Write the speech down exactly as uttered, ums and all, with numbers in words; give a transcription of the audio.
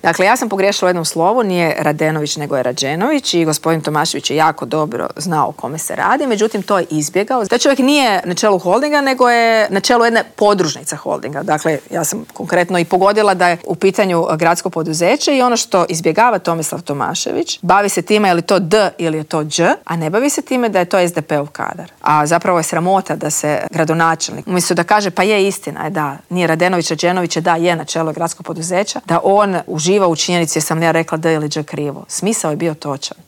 Dakle, ja sam pogriješila u jednom slovu, nije Radenović nego je Rađenović i gospodin Tomašević je jako dobro znao o kome se radi, međutim to je izbjegao. Taj čovjek nije na čelu holdinga, nego je na čelu jedne podružnice holdinga. Dakle, ja sam konkretno i pogodila da je u pitanju gradsko poduzeće i ono što izbjegava Tomislav Tomašević, bavi se time je li to D ili je to Đ, a ne bavi se time da je to es de pe-ov kadar. A zapravo je sramota da se gradonačelnik, umjesto da kaže pa je istina, je da, nije Radenović, Rađenović je da, je na čelu gradskog poduzeća, da on uživa u činjenici jer sam ja rekla D ili Đ krivo. Smisao je bio točan.